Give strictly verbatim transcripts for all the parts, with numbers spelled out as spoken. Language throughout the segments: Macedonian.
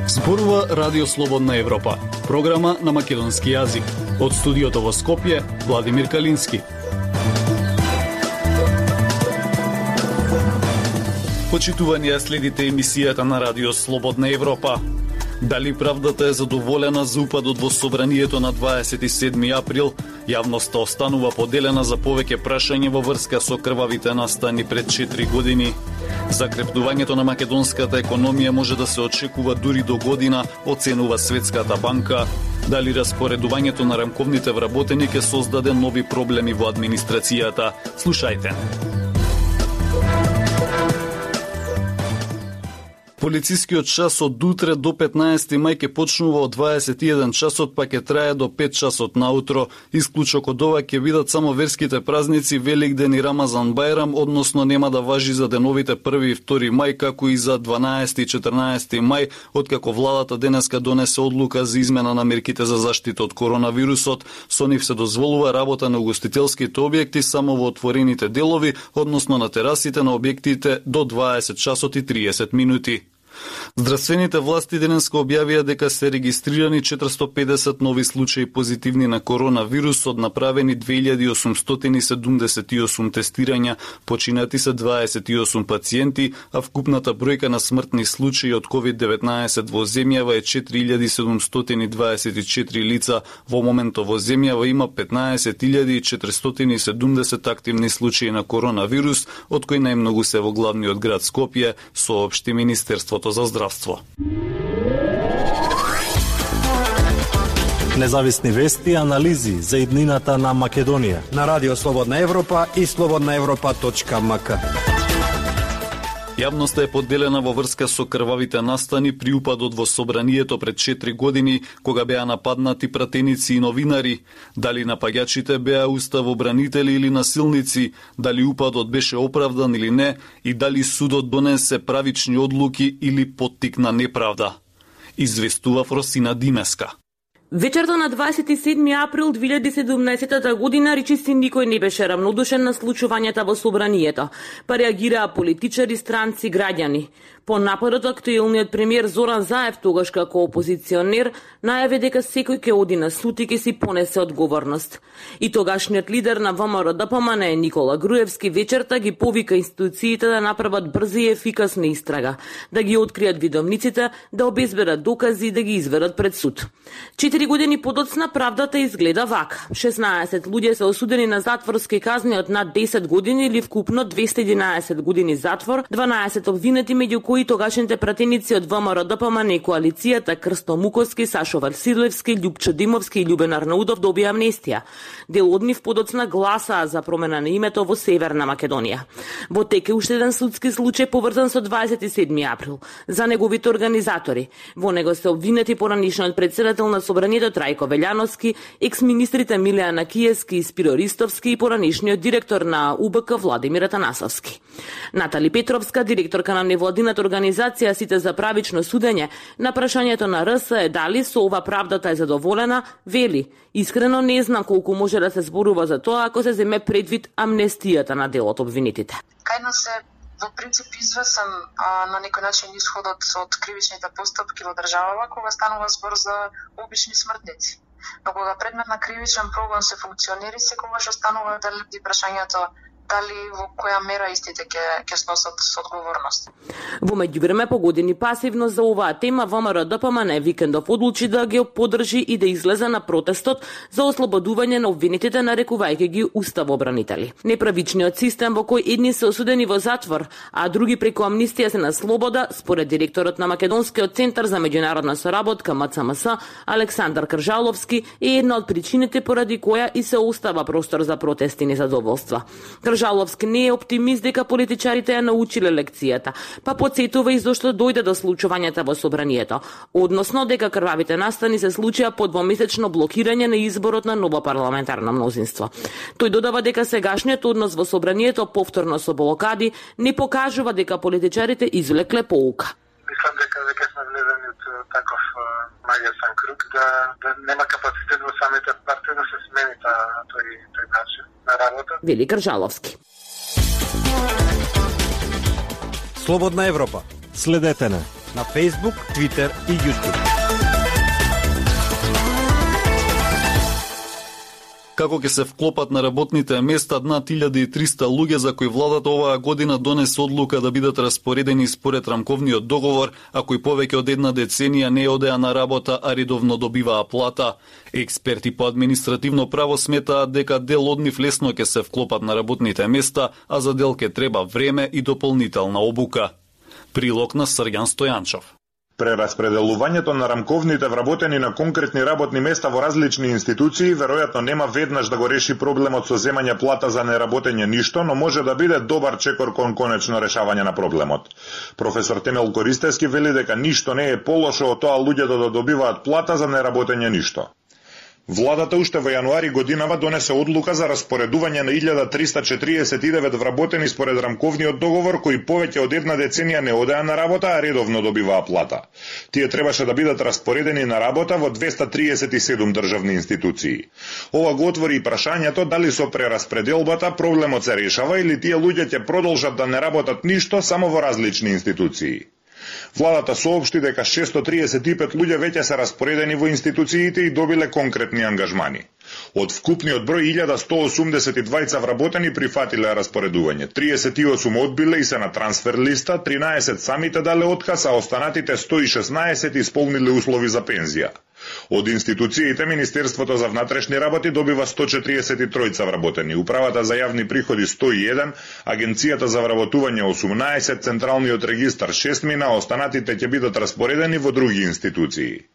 Зборува Радио Слободна Европа, програма на македонски јазик. Од студиото во Скопје, Владимир Калински. Почитувани, следите емисијата на Радио Слободна Европа. Дали правдата е задоволена за упадот во собранието на дваесет и седми април? Јавноста останува поделена за повеќе прашања во врска со крвавите настани пред четири години. Закрепнувањето на македонската економија може да се очекува дури до година, оценува Светската банка. Дали распоредувањето на рамковните вработени ќе создаде нови проблеми во администрацијата? Слушајте. Полицискиот час од утре до петнаесети мај ќе почнува од дваесет и еден часот, па ќе трае до пет часот наутро. Исклучок од ова ќе бидат само верските празници Великден и Рамазан Бајрам, односно нема да важи за деновите први и втори мај, како и за дванаесети и четрнаесети мај, откако владата денеска донесе одлука за измена на мерките за заштита од коронавирусот. Со нив се дозволува работа на угостителските објекти само во отворените делови, односно на терасите на објектите до дваесет часот и триесет минути. Здравствените власти денеска објавија дека се регистрирани четиристо и педесет нови случаи позитивни на коронавирус, од направени две илјади осумстотини седумдесет и осум тестирања, починати се дваесет и осум пациенти, а вкупната бројка на смртни случаи од ковид деветнаесет во земјава е четири илјади седумстотини дваесет и четири лица. Во моментот во земјава има петнаесет илјади четиристотини и седумдесет активни случаи на коронавирус, од кои најмногу се во главниот град Скопје, соопшти Министерството за здравство. Независни вести и анализи за иднината на Македонија на Радио Слободна Европа и слободна европа точка ем ка. Јавноста е поделена во врска со крвавите настани при упадот во собранието пред четири години, кога беа нападнати пратеници и новинари. Дали напаѓачите беа уставобранители или насилници, дали упадот беше оправдан или не, и дали судот донесе правични одлуки или поттикна неправда. Известува Фросина Димеска. Вечерта на дваесет и седми април две илјади и седумнаесета година речиси никој не беше рамнодушен на случувањата во собранието, па реагираа политичари, странци, граѓани. По нападот, актуелниот премиер Зоран Заев, тогаш како опозиционер, најави дека секој ќе оди на суд и ќе си понесе одговорност. И тогашниот лидер на ВМРО-ДПМН Никола Груевски вечерта ги повика институциите да направат брза и ефикасна истрага, да ги откријат видовниците, да обезбедат докази и да ги изведат пред суд. Четири години подоцна правдата изгледа вака. шеснаесет луѓе се осудени на затворски казни од над десет години или вкупно двесте и единаесет години затвор, дванаесет обвинети, меѓу кои тогашните пратеници од ВМРО-ДПМН и коалицијата Крсто Муковски, Сашо Василевски, Љупчо Димовски и Љубен Арнаудов добија амнестија. Дел од нив подоцна гласаа за промена на името во Северна Македонија. Во тек е уште еден судски случај поврзан со дваесет и седми април. За неговите организатори. Во него се обвинети поранишниот председател на собранието Трајко Велјановски, екс-министрите Милијана Киевски и Спиро Ристовски и поранишниот директор на У Б К Владимир Атанасовски. Натали Петровска, директорка на невладината организација Сите за правично судење, на прашањето на Р С е дали со ова правдата е задоволена, вели: искрено не знам колку може да се зборува за тоа ако се земе предвид амнестијата на дел од обвинетите. Кај нас е во принцип извесен а, на некој начин исходот од кривичните постапки во државава кога станува збор за обични смртници. Но кога предмет на кривичен прогон се функционери, секогаш останува дали прашањето дали во која мера истите ќе ќе сносат одговорност. Во меѓувреме, по години пасивно за оваа тема, ВМРО-ДПМН викендов одлучи да ги поддржи и да излезе на протестот за ослободување на обвинетите, нарекувајќи ги уставобранители. Неправичниот систем во кој едни се осудени во затвор, а други преку амнистија се на слобода, според директорот на Македонскиот центар за меѓународна соработка М Ц М С Александар Кржаловски, е една од причините поради која и се остава простор за протести и незадоволства. Кржаловски не е оптимист дека политичарите ја научиле лекцијата, па потсетува и зошто дојде до случувањата во собранието, односно дека крвавите настани се случија по двомесечно блокирање на изборот на ново парламентарно мнозинство. Тој додава дека сегашниот однос во собранието повторно со блокади не покажува дека политичарите извлекле поука. Мислам дека дека сме влезени од таков маѓарски круг да, да нема капацитет во самите партии да се смени тој тој начин на работа. Вели Кржаловски. Слободна Европа. Следете не На Facebook, Twitter и YouTube. Како ќе се вклопат на работните места над илјада и триста луѓе за кои владата оваа година донесе одлука да бидат распоредени според рамковниот договор, а кои повеќе од една деценија не одеа на работа, а редовно добиваа плата. Експерти по административно право сметаат дека дел од нив лесно ќе се вклопат на работните места, а за дел ќе треба време и дополнителна обука. Прилог на Срѓан Стојанчов. Прераспределувањето на рамковните вработени на конкретни работни места во различни институции веројатно нема веднаш да го реши проблемот со земање плата за неработење ништо, но може да биде добар чекор кон конечно решавање на проблемот. Професор Темел Користевски вели дека ништо не е полошо од тоа луѓето да добиваат плата за неработење ништо. Владата уште во јануари годинава донесе одлука за распоредување на илјада триста четириесет и девет вработени според рамковниот договор кои повеќе од една деценија не одеа на работа, а редовно добиваа плата. Тие требаше да бидат распоредени на работа во двеста триесет и седум државни институции. Ова го отвори и прашањето дали со прераспределбата проблемот се решава или тие луѓе ќе продолжат да не работат ништо само во различни институции. Владата соопшти дека шестстотини триесет и пет луѓе веќе се распоредени во институциите и добиле конкретни ангажмани. Од вкупниот број илјада сто осумдесет и двајца вработени прифатиле распоредување, триесет и осум одбиле и се на трансфер листа, тринаесет самите дале отказ, а останатите сто и шеснаесет исполниле услови за пензија. Од институциите Министерството за внатрешни работи добива сто четириесет и тројца вработени, Управата за јавни приходи сто и еден, Агенцијата за вработување осумнаесет, Централниот регистар шест мина, останатите ќе бидат распоредени во други институции.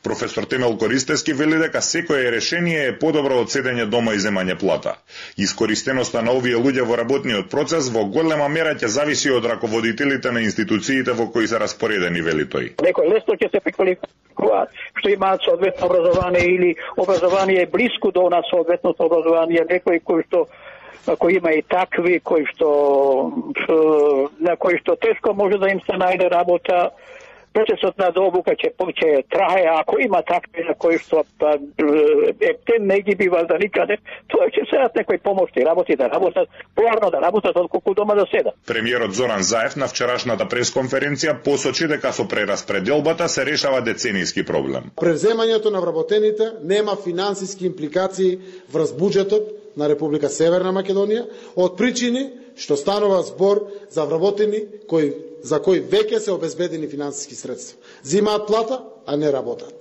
Професор Темел Користевски вели дека секое решение е подобро од седење дома и земање плата. Искористеноста на овие луѓе во работниот процес во голема мера ќе зависи од раководителите на институциите во кои се распоредени, вели тој. Некој лесно ќе се преквалификуваат што имаат соодветно образование или образование блиску до нас соодветното образование, некој кој што кој има и такви, кој што на кој што тешко може да им се најде работа. Процесот на обука ќе ќе трае, ако има такви на кои што ептен не ги бива за никаде, тоа ќе седат некои помошни работи да работат, поарно да работат отколку дома да седат. Премиерот Зоран Заев на вчерашната пресконференција посочи дека со прераспределбата се решава деценијски проблем. Превземањето на вработените нема финансиски импликации врз буџетот на Република Северна Македонија од причини што станува збор за вработени кои за кои веќе се обезбедени финансиски средства. Зимаат плата, а не работат.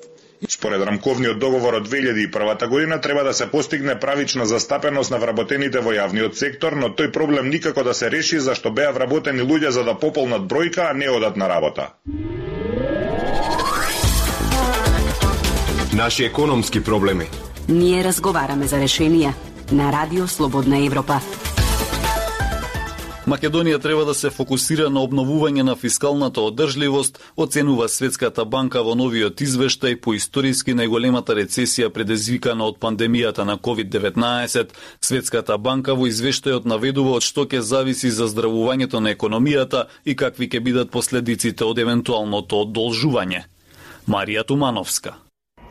Според рамковниот договор од две илјади и прва година треба да се постигне правична застапеност на вработените во јавниот сектор, но тој проблем никако да се реши зашто беа вработени луѓе за да пополнат бројка, а не одат на работа. Наши економски проблеми. Ние разговараме за решенија на Радио Слободна Европа. Македонија треба да се фокусира на обновување на фискалната одржливост, оценува Светската банка во новиот извештај по историски најголемата рецесија предизвикана од пандемијата на ковид деветнаесет. Светската банка во извештајот наведува од што ќе зависи заздравувањето на економијата и какви ќе бидат последиците од евентуалното одолжување. Марија Тумановска.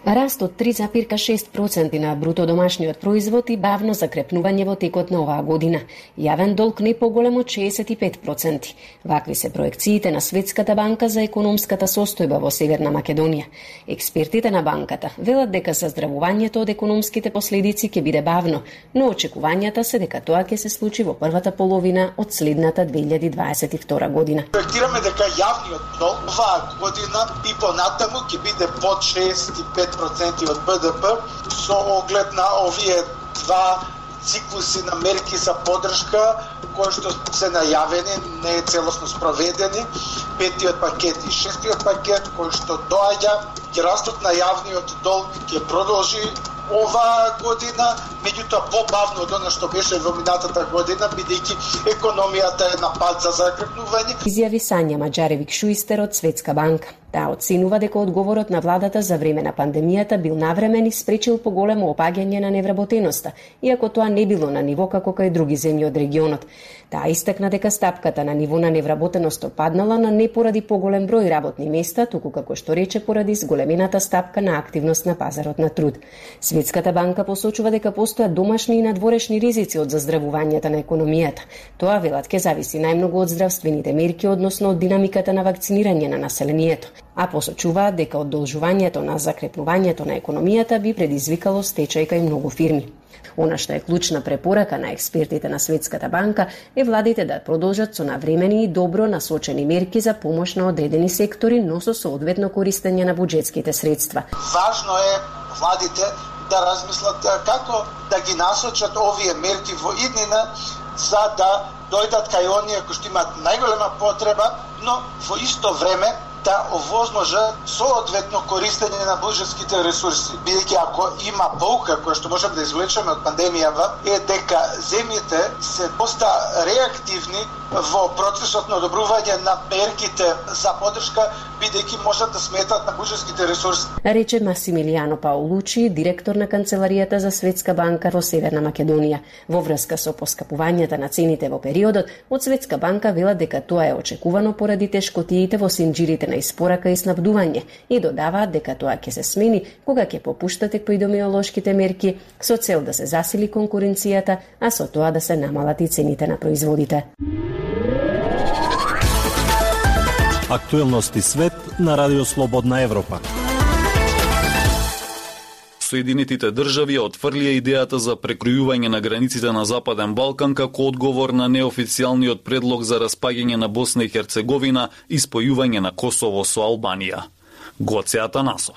Раст од три запирка шест проценти на бруто домашниот производ и бавно закрепнување во текот на оваа година. Јавен долг не поголем од шеесет и пет проценти. Вакви се проекциите на Светската банка за економската состојба во Северна Македонија. Експертите на банката велат дека заздравувањето од економските последици ќе биде бавно, но очекувањата се дека тоа ќе се случи во првата половина од следната две илјади дваесет и втора година. Проектираме дека јавниот долг оваа година и понатаму ќе биде под шеесет и пет проценти од Б Д П со оглед на овие два циклуси на мерки за поддршка кои што се најавени, не е целосно спроведени, петиот пакет и шестиот пакет кои што доаѓа, ќе растот на јавниот долг ќе продолжи оваа година, меѓутоа побавно од она што беше во минатата година, бидејќи економијата е на пат за закрепнување. Изјави Сања Маџаревик Шуистер од Светска банка. Таа оценува дека одговорот на владата за време на пандемијата бил навремен и спречил поголемо опаѓање на невработеноста, иако тоа не било на ниво како кај други земји од регионот. Таа истакна дека стапката на ниво на невработеност опаднала, но не поради поголем број работни места, туку како што рече поради зголемената стапка на активност на пазарот на труд. Светската банка посочува дека постојат домашни и надворешни ризици од заздравувањето на економијата. Тоа, велат, ќе зависи најмногу од здравствените мерки, односно од динамиката на вакцинирање на населението, а посочуваат дека одолжувањето на закрепнувањето на економијата би предизвикало стечај кај многу фирми. Она што е клучна препорака на експертите на Светската банка е владите да продолжат со навремени и добро насочени мерки за помош на одредени сектори, но со соодветно користење на буџетските средства. Важно е владите да размислат како да ги насочат овие мерки во иднина за да дојдат кај оние кои што имаат најголема потреба, но во исто време да овозможа соодветно користење на буџетските ресурси. Бидејќи ако има поука која што можеме да извлечеме од пандемијава е дека земјите се поста реактивни во процесот на одобрување на мерките за поддршка, бидејќи можат да сметат на буџетските ресурси. Рече Масимилијано Паолучи, директор на Канцеларијата за Светска банка во Северна Македонија. Во врска со поскапувањата на цените во периодот, од Светска банка велат дека тоа е очекувано поради тешкотиите во синџирите на испорака и снабдување и додаваат дека тоа ќе се смени кога ќе попуштат епидемиолошките мерки со цел да се засили конкуренцијата, а со тоа да се намалат и цените на производите. Актуелности свет на Радио Слободна Европа. Соединетите држави отфрлија идејата за прекројување на границите на Западен Балкан како одговор на неофицијалниот предлог за распаѓање на Босна и Херцеговина и спојување на Косово со Албанија. Гоце Атанасов.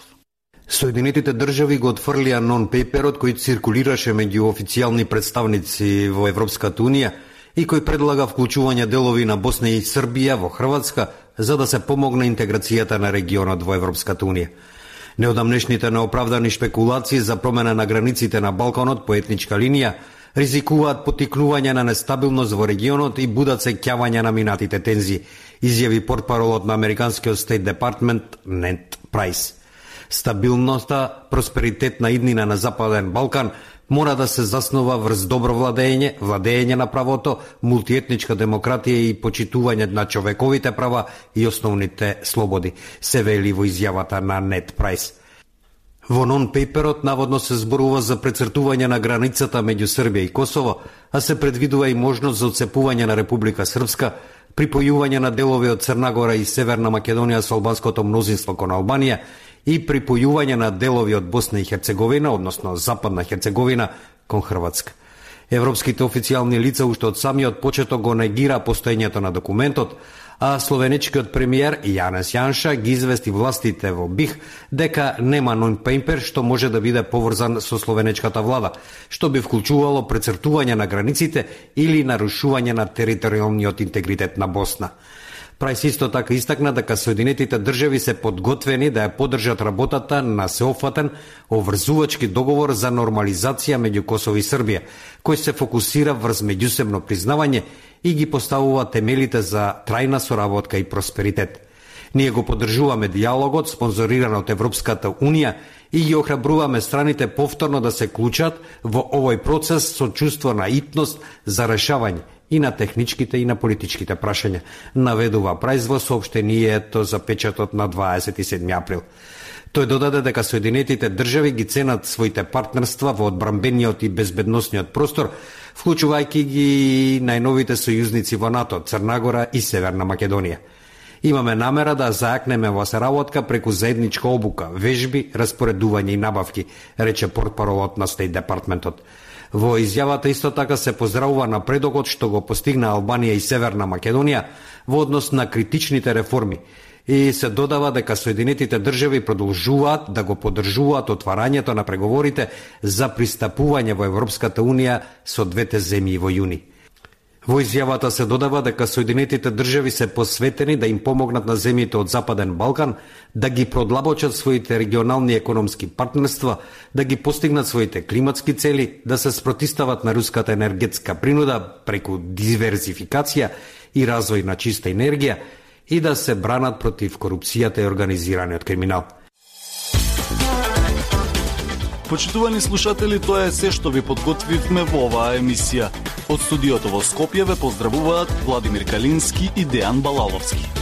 Соединетите држави го отфрлија нон-пейперот кој циркулираше меѓу официјални представници во Европската унија и кој предлага вклучување делови на Босна и Србија во Хрватска за да се помогне интеграцијата на регионот во Европската унија. Неодамнешните неоправдани шпекулации за промена на границите на Балканот по етничка линија ризикуваат потикнување на нестабилност во регионот и будат сеќавање на минатите тензии, изјави портпаролот на американскиот Стейт Департмент Нед Прайс. Стабилноста, просперитет на иднина на Западен Балкан мора да се заснова врз добро владење, владење на правото, мултиетничка демократија и почитување на човековите права и основните слободи, се вели во изјавата на Нед Прайс. Во нон-пейперот наводно се зборува за прецртување на границата меѓу Србија и Косово, а се предвидува и можност за отцепување на Република Српска, припојување на делови од Црна Гора и Северна Македонија со албанското мнозинство кон Албанија и припојување на делови од Босна и Херцеговина, односно Западна Херцеговина, кон Хрватска. Европските официјални лица уште од самиот почеток го негира постоењето на документот, а словенечкиот премиер Јанес Јанша ги извести властите во Бих дека нема нон-пейпер што може да биде поврзан со словенечката влада, што би вклучувало прецртување на границите или нарушување на територијалниот интегритет на Босна. Прайс исто така истакна дека Соединетите држави се подготвени да ја поддржат работата на сеофатен обврзувачки договор за нормализација меѓу Косово и Србија, кој се фокусира врз меѓусебно признавање и ги поставува темелите за трајна соработка и просперитет. Ние го поддржуваме диалогот спонзориран од Европската унија и ги охрабруваме страните повторно да се клучат во овој процес со чувство на итност за решавање и на техничките и на политичките прашања, наведува Прайс во соопштението за печатот на дваесет и седми април. Тој додаде дека Соединетите држави ги ценат своите партнерства во одбранбениот и безбедносниот простор, вклучувајќи ги најновите сојузници во НАТО, Црна Гора и Северна Македонија. Имаме намера да зајакнеме во соработка преку заедничка обука, вежби, распоредување и набавки, рече портпаролот на Стейт Департментот. Во изјавата исто така се поздравува напредокот што го постигна Албанија и Северна Македонија во однос на критичните реформи и се додава дека Соединетите држави продолжуваат да го поддржуваат отварањето на преговорите за пристапување во Европската унија со двете земји во јуни. Во изјавата се додава дека Соединетите држави се посветени да им помогнат на земјите од Западен Балкан да ги продлабочат своите регионални економски партнерства, да ги постигнат своите климатски цели, да се спротистават на руската енергетска принуда преку диверзификација и развој на чиста енергија и да се бранат против корупцијата и организираниот криминал. Почитувани слушатели, тоа е се што ви подготвивме во оваа емисија. Од студиото во Скопје ве поздравуваат Владимир Калински и Дејан Балаловски.